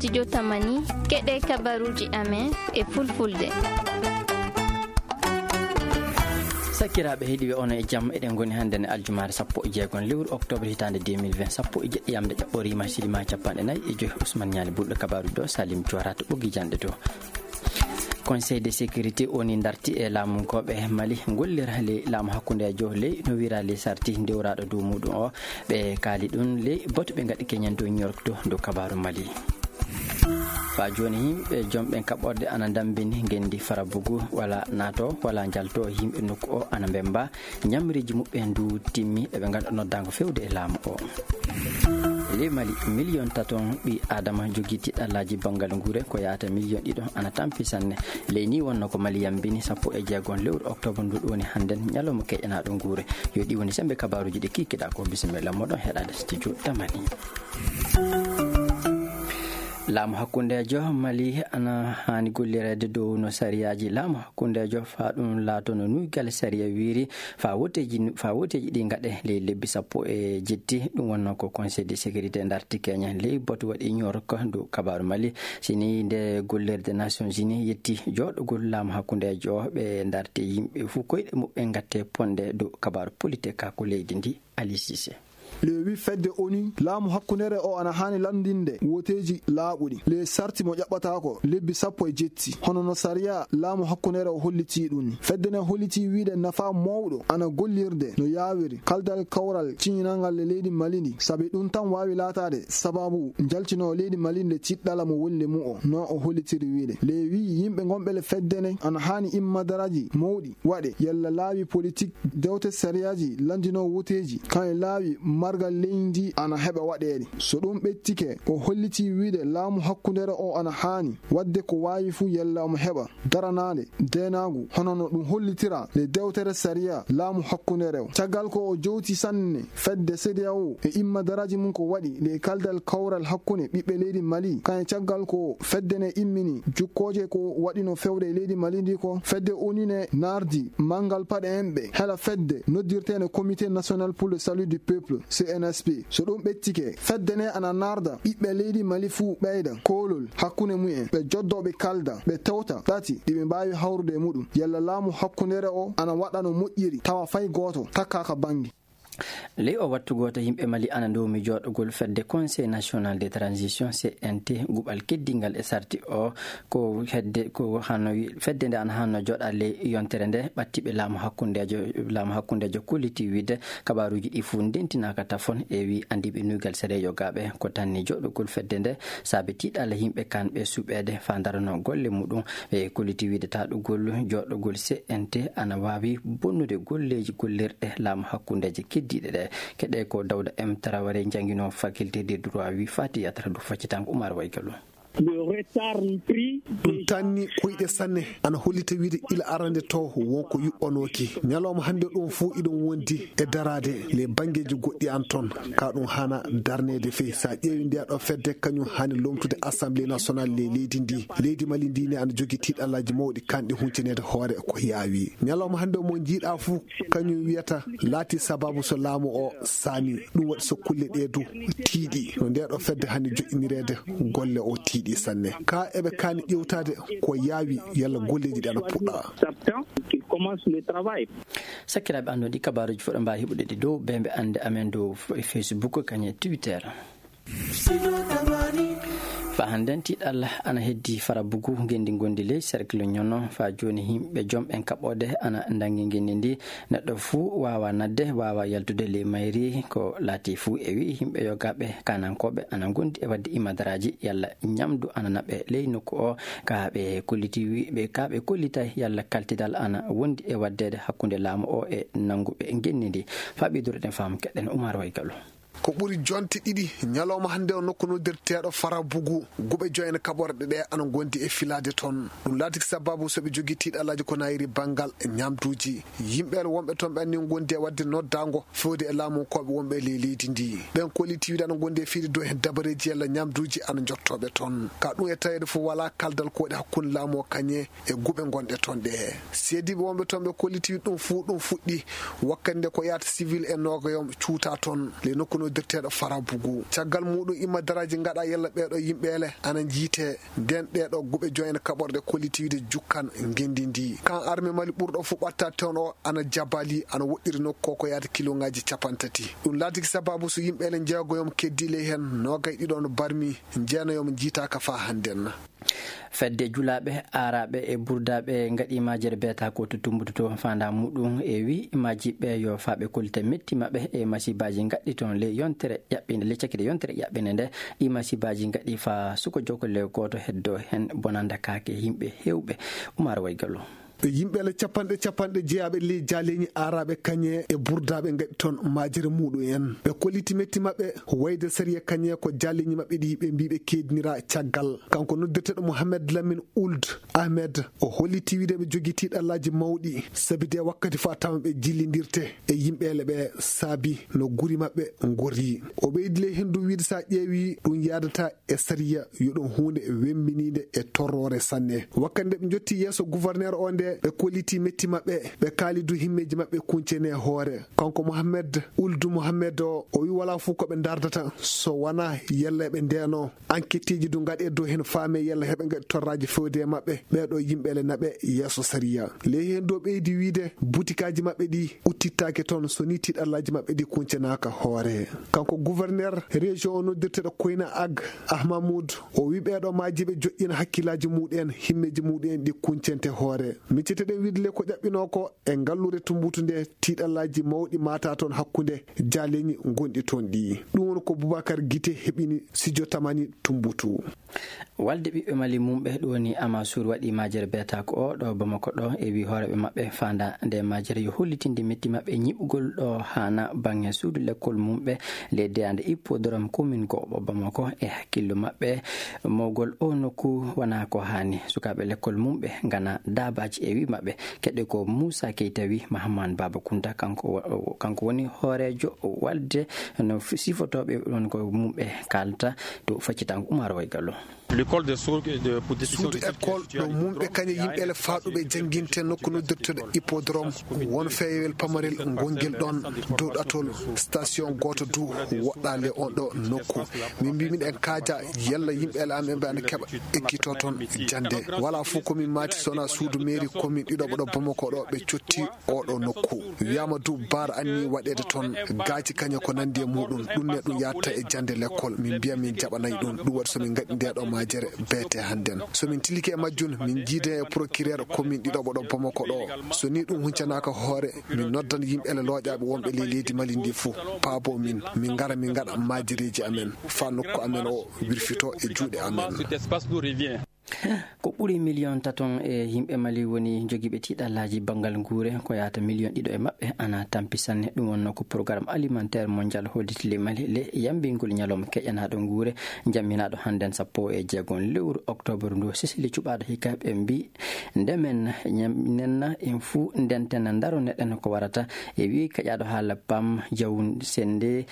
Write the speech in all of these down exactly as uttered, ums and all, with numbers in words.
Studio Tamani, keɗe kabaruuji amen e fulfulde. Sakiraaɓe heɗiiɓe, on e jam. Eɗen ngoni hannde ne aljumaare sappo e jeegom lewru octobre hitaande deux mille vingt, sappo e jeɗɗi yamde ƴaɓɓoriima, sirima capanɗe nayi e joy. Ousmane Ñaali Bulɗo, kabaaruuji ɗo, Salim Joora to ɓoggi jannde to. Conseil de sécurité woni darti e laamunkooɓe Mali, gollira ley laamu hakkundeejo, ley no wira ley sarti ndewraaɗo dow muɗum o. Ɓe kaali ɗum ley boto ɓe ngaɗi keñen dow ñorkto dow kabaaru Mali. Faa jooni, yimɓe jomɓe kaɓɓorde ana ndammbini ngenndi Farabugu, wala naato, wala njalto, yimɓe nokku o ana mbemmba. Ñamriiji muɓɓen du timmi, eɓe nganndo noddaango fewde e laamu o. Ley Mali, miliyon taton ɓii Aadama jogii tiiɗallaaji banngal nguure, ko yahata miliyon ɗiɗo ana tampi sanne. Ley nii wonno ko Mali yambini sappo e jeegom lewru oktoobar ndu woni hannden, ñalawma keƴanaaɗo nguure. Yo ɗi woni semmbe kabaaruuji ɗi kiikiɗaa ko. Bisimilla moɗon heɗaade studio Tamani. Laamu hakkundeejo Mali ana haani gollireede dow no sariyaaji laamu hakkundeejo faa ɗum laato no nuygal sariya wiiri, faa woteeji, faa woteeji ɗi ngaɗe ley lebbi sappo e jetti. Ɗum wonno ko Conseil de sécurité ndarti keñen ley boto waɗi ñorko dow kabaaru Mali. Si nii nde gollirde Nations Unies yetti jooɗogol laamu hakkundeejo, ɓe ndarti yimɓe fuu koyɗe muɓɓen ngatte ponde dow kabaaru politik ka ko leydi ndi. Ali Cissé. Le wi fedde ONU, laamu hakkundeere o ana haani lanndinde woteeji laaɓuɗi, le sarti mo ƴaɓɓataako lebbi sappo e jetti, hono no sariya laamu hakkundeere o hollitii ɗum ni. Fedde ne hollitii wiide nafa mawɗo ana gollirde no yaawiri kaldal kawral ciñinangal le leydi Mali ndi, sabi ɗum tan waawi laataade sababu njaltinoo leydi Mali nde tiɗɗala mo wonde mu o, no o hollitiri wiide. Le wi yimɓe ngonɓe le fedde ne ana haani immadaraaji mawɗi waɗe, yalla laawi politik, dewte sariyaaji lanndinoo woteeji, kan e laawi margal leydi ana heɓa waɗeede. So ɗum ɓettike, o hollitii wiide laamu hakkundeere o ana haani waɗde ko waawi fuu yalla omo heɓa daranaade deenaagu, hono no ɗum hollitira le dewtere sariya laamu hakkundeere o. Caggal ko o jowti sanne fedde CEDEAO e immadaraaji mum ko waɗi le kaldal kawral hakkunde ɓiɓɓe leydi Mali, kan e caggal ko fedde ne immini jukkooje ko waɗino fewde e leydi Mali ndi ko, fedde ONU ne naardi manngal paɗe enɓe hela fedde noddirteende Comité National pour le Salut du Peuple, C N S P. So ɗum ɓettike, fedde ne ana naarda ɓiɓɓe leydi Mali fuu ɓeyda koolol hakkunde mumen, ɓe joddoo ɓe kalda, ɓe tewta ɗati ɗi ɓe mbaawi hawrude e muɗum, yalla laamu hakkundeere o ana waɗa no moƴƴiri, tawa fay gooto takkaaka bannge. Ley o wattu gooto, yimɓe Mali ana ndoomi jooɗogol fedde Conseil National de Transition, C N T, guɓal keddingal e sarti o. Ko hedde, ko hanno wi-, fedde nde ana hanno jooɗa ley yontere nde, ɓattiiɓe laamu hakkundeejo, laamu hakkundeejo kolliti wiide kabaaruuji ɗi fuu ndentinaaka tafon e wi anndiiɓe nuygal sere yogaaɓe ko tanni jooɗogol fedde nde, saabe tiiɗalla yimɓe kanɓe suɓeede faa ndarano golle muɗum. Ɓe kolliti wiide taɗugol jooɗogol C N T ana waawi bonnude golleeji gollirɗe laamu hakkundeeje keddiiɗe ɗe. Keɗe ko Dawda M Traoré, jannginoo faculté de droit, wi fati yatra du faccitango Umar Waygalu. Le retard pris. Ɗum tanni koyɗe sanne, ana hollita wiide ila arande to won ko yuɓɓanooki. Ñalawma hannde ɗum fuu iɗum wondi e daraade le banngeeji goɗɗi an toon. Ka ɗum hana darneede fey. Sa ƴeewi ndeya ɗo fedde, kañum hani lomtude Assemblée nationale le leydi ndi. Leydi Mali ndi ne ana jogi tiiɗallaaji mawɗi kanɗi huncinede hoore ko yaawi. Ñalawma hannde mo njiiɗa fuu, kañum wiyata laati sababu so laamu o saami. Ɗum waɗi so kulle ɗe du tiiɗi. No nde ɗo fedde hani joƴƴinireede, golle o tiiɗi sanne. Ka eɓe kaani ƴewtaade ko yaawi yalla golleeji ɗi ana puɗɗa. Septembre qu'il commence le travail. Sakiraaɓe, anndon ɗi kabaaruuji fof ɗo mbaawi heɓude ɗi dow beembe annde amen dow f-, Facebook, kañum e Twitter. Fa hannden tiiɗalla ana heddi Farabugu, ngenndi ngondi ley cercle Ñono. Fa jooni yimɓe jom en kaɓɓoode ana ndanngi ngenndi ndi. Neɗɗo fuu waawa nadde, waawa yaltude ley mayri. Ko laati fuu e wi'i yimɓe yogaaɓe kaanankooɓe ana ngondi e waɗde imadaraaji yalla ñamdu ana naɓe ley nokku o. Ka ɓe kolliti wi-, ɓe, ka ɓe kollitay yalla kaltidal ana wondi e waɗdeede hakkunde laamu o e nannguɓe ngenndi ndi. Fa ɓeydureɗen faamu keɗen Umar Waygalu. Ko ɓuri jonte ɗiɗi ñalawma hannde o nokku noddirteeɗo Farabugu, guɓe joyen kaɓorɗe ɗe ana ngondi e filaade toon. Ɗum laatiki sababu so ɓe jogii tiiɗallaaji ko nayiri banngal ñamduuji. Yimɓe wonɓe toon ɓe anni ngondi e waɗde noddaango fewde e laamunkooɓe wonɓe e ley leydi ndi. Ɓen kolliti wiide ana ngondi e fiide dow heen dabareeji yalla ñamduuji ana jottooɓe toon. Ka ɗum e taweede fof walaa kaldal ko waɗi hakkunde laamu o kañe e guɓe gonɗe toon ɗe. Seediiɓe wonɓe toon ɓe kolliti ɗum fuu ɗum fuɗɗi wakkati nde ko yaata civil e nogoyom cuuta toon. Le nokku no Noddirteeɗo Farabugu. Caggal muɗum, imma daraaji ngaɗa yalla ɓeeɗo yimɓeele ana njiite. Nden ɗeeɗo guɓe joyen kaɓorɗe kolliti wiide jukkan ngenndi ndi. Kan arme Mali ɓurɗo fu ɓatta toon o ana jabali, ana woɗɗiri nokku ko, ko yaata kiloŋaaji capanɗe tati. Ɗum laatiki sababu so yimɓeele njeegoyom keddi ley heen, noogay ɗiɗo no barmi, jeenayomo njiitaaka faa hannden. Fedde julaaɓe, aaraaɓe e burdaaɓe ngaɗi majere beeta ko to Tumbutu to, faandaa muɗum e wi majiɓe yo faaɓe kollita metti maɓɓe e masibaaji ngaɗɗi toon ley yontere ƴaɓɓinde, ley cakkite yontere ƴaɓɓinde nde. Ɗi masibaaji ngaɗɗi faa suko jokole gooto heddo heen bonanda kaake yimɓe heewɓe. Umar Waygallo. Yimɓeele capanɗe capanɗe jeyaaɓe ley jaaleeñi aaraaɓe kañe e burdaaɓe ngaɗi toon majere muɗum en. Ɓe kolliti metti maɓɓe wayde sariya kañe ko jaaleeñi maɓɓe ɗi ɓe mbii ɓe keedinira caggal. Kanko noddirteeɗo Mohamed Lamine Ould Ahmed, o holliti wiide ɓe jogii tiiɗallaaji mawɗi, sabi de wakkati fof a tawa ɓe jillindirte e yimɓeele ɓe saabi no guri maɓɓe ngorri. O ɓeydi ley heen du wiide so a ƴeewi ɗum yaadata e sariya, yo ɗum huunde wemmbiniinde e torroore sanne. Wakkati nde ɓe njotti yeeso gouverneur o nde, ɓe kolliti metti maɓɓe, ɓe kaali du himmeeji maɓɓe kuncene hoore. Kanko Mohamed Ould Mohamed o, o wi walaa fof ko ɓe ndardata so wonaa yalla ɓe ndeenoo. Enquêteeji du ngaɗe dow heen faame yalla heɓe ngaɗi torraaji fewde e maɓɓe. Ɓeeɗo yimɓeele naɓe yeeso sariya. Ley heen du o ɓeydi wiide butikaaji maɓɓe ɗi uttittaake toon so ni tiiɗallaaji maɓɓe ɗi kuncenaaka hoore. Kanko gouverneur région o noddirteeɗo Koyna Ag Ahmamoud, o wi ɓeeɗo majiɓe joƴƴina hakkillaaji muɗum en, himmeeji muɗum en ɗi kuncente hoore. Miccete ɗen wiide le ko ƴaɓɓinoo ko e ngalluure Tumbutu nde, tiiɗallaaji mawɗi mata toon hakkunde jaaleeñi ngonɗi toon ɗi. Ɗum woni ko Boubacar Guité heɓini Sijo Tamani Tumbutu. Walde ɓiɓɓe Mali mumɓe ɗum woni Amasur waɗi majere beeta ko o ɗo Bamako ɗo e wi hooreɓe maɓɓe faanda nde majere yo hollitinde metti maɓɓe ñiɓugol ɗo haana baŋŋe suudu lekkol mumɓe ley deyande hippodrome commune goɓo Bamako e hakkillo maɓɓe mawgol o nokku wona ko haani. Sukaaɓe lekkol mumɓe ngana daabaaji e wi maɓɓe keɗe ko Moussa Keita wi Mahaman Baba Kounta kanko wo-, kanko woni hooreejo walde no f-, sifotooɓe ɗon ko mumɓe kaalta to faccitango Umar Waygallo. L'école de sourds de, pour déficients suudu écoles ɗo mumɓe kañe yimɓe ele faaɗuɓe jannginte nokku noddirteɗo hippodrome, won feewel pamarel ngonngel ɗon dow ɗatol station gooto du woɗɗaale on ɗo nokku. Min mbi miɗen kaaja yalla yimɓe ele amen ɓe ana keɓa ekkito toon jannde. Walaa fof ko min maati so wonaa suudu mairie commune ɗiɗo ɓo ɗo Bamako ɗo ɓe cotti oɗo nokku. Wiyaama du baara anni waɗeede toon gaaci kañe ko nanndi e muɗum. Ɗum ne ɗum yaatta e jannde lekkol. Min mbiya min jaɓanay ɗum. Ɗum waɗi so min ngaɗi nde ɗo majere beete hannden. So min tilike e majjum, min njiide e procureur commune ɗiɗo ɓo ɗo Bamako ɗo. So ni ɗum huncanaaka hoore, min noddan yimɓe ele looƴaaɓe wonɓe ley leydi Mali ndi fof. Paabo min, min ngara min ngaɗa majereeji amen. Faa nokku amen o wirfito e juuɗe amen. Ko ɓuri miliyon taton e yimɓe Mali woni jogiiɓe tiiɗallaaji banngal nguure, ko yahata miliyon ɗiɗo e maɓɓe ana tampi sanne. Ɗum wonnoo ko Programme Alimentaire Mondial holliti ley Mali le yambingol ñalawma keƴanaaɗo nguure, jamminaaɗo hannden sappo e jeegom lewru oktoobar ndu. Sisili cuɓaaɗo hikka ɓe mbi, nde men ñam-, nenna en fuu ndenten ndaroneɗen ko warata. E wi kaƴaaɗo haala Pam Jawun Sennde,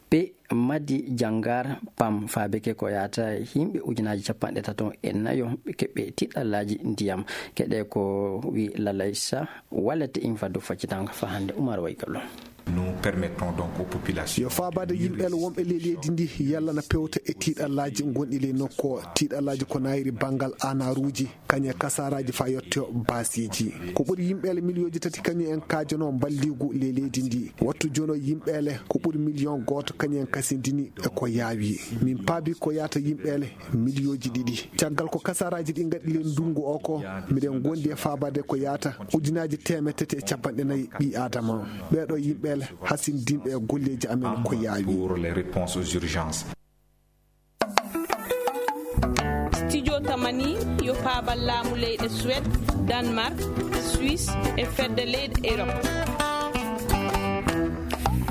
pe Madi Jangar Pam faabike ko yahata yimɓe ujunaaji capanɗe tato e nayo keɓɓe tiɗɗallaaji ndiyam. Keɗe ko wi Lalaysa walete in faddu faccitango fa hannde Umar Waygallo. Nous permettons donc aux populations yo faabaade yimɓe wonɓe ley leydi ndi yalla na pewta e tiiɗallaaji ngonɗi ley nokku o. Tiiɗallaaji ko nayri banngal anaruuji, kañum e kasaaraaji faa yottoo baasiiji. Ko ɓuri yimɓeele miliyooji tati kañum en kaajanoo mballiigu ley leydi ndi. Wattu jooni o yimɓeele ko ɓuri miliyon gooto kañum en kasindini e ko yaawi. Min paabi ko yahata yimɓeele miliyooji ɗiɗi. Caggal ko kasaaraaji ɗi ngaɗi ley ndunngu o ko, miɗen ngondi e faabaade ko yahata ujunaaji teemedde tati e capanɗe nayi ɓii Aadama. Ɓeeɗo yimɓeele hasindinɓe e golleeji amen ko yaawi. Pour les réponses aux urgences. Studio Tamani yo paabal laamu leyɗe Suède, Danemark, Suisse e fedde leyɗe Europe.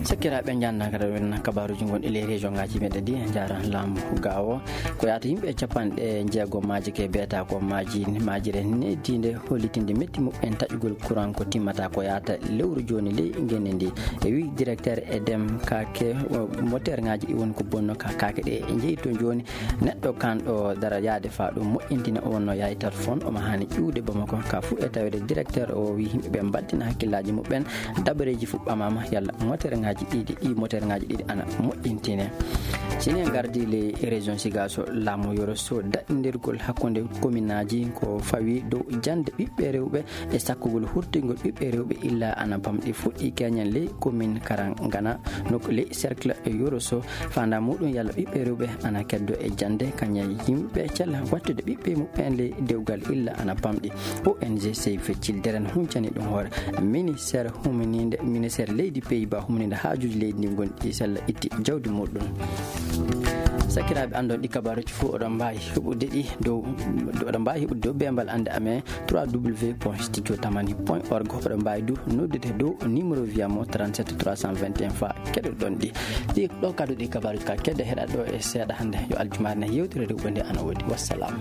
Sakiraaɓe, njannda kadi en kabaaruuji gonɗi ley région ngaaji meɗen ɗi, en njaara laamu gaawo. Ko yahata yimɓe capanɗe jeegom maaji ke beeta ko maaji, maajire neediinde hollitinde metti muɓɓen taƴugol courant ko timmata ko yahata lewru jooni ley ngenndi ndi. E wi directeur Edem Kake, o, moteur ngaaji ɗi woni ko bonno ka, kaake ɗe jeyi to jooni. Neɗɗo kanɗo dara yaade faa ɗum moƴƴintina o wonno yaayitat fon, omo haani ƴuwde Bamako ka fuu e taweede directeur o wi yimɓe ɓe mbaddina hakkillaaji muɓɓen, dabareeji fuu ɓamaama yalla moteur ngaaji ɗiɗi ɗi moterŋaaji ɗiɗi ana moƴƴintine. Sini en gardi le région sigaso laamu yoro so daɗɗindirgol hakkunde kominaaji ko fawi dow jannde ɓiɓɓe rewɓe e sakkugol hurtingol ɓiɓɓe rewɓe illa ana bamɗi fuɗɗi keñen ley komin karangana nok ley cercle yoro so fanda muɗum yalla ɓiɓɓe rewɓe ana keddo e jannde kaña yimɓe cella wattude ɓiɓɓe muɓɓen ley dewgal illa ana bamɗi. O N G Save Children huncani ɗum hoore ministère humininde ministère leydi Pays-Bas humininde haajuuji leydi ndi gonɗi sella itti jawdi muɗum. Sakiraaɓe anndon ɗi kabaruji fof oɗon mbaawi heɓude ɗi dow oɗon mbaawi heɓude dow bembal annde amen trois w point studio tamani point org. Oɗon mbaawi du noddude dow numéro wiyamo trente-sept trois cent vingt et un fa keɗoɗon ɗi. Ɗi ɗo kadu ɗi kabaruji ka kedde heɗa ɗo e seeɗa hannde yo aljumaare ne yewtere rewɓe nde ana woodi. Wassalam.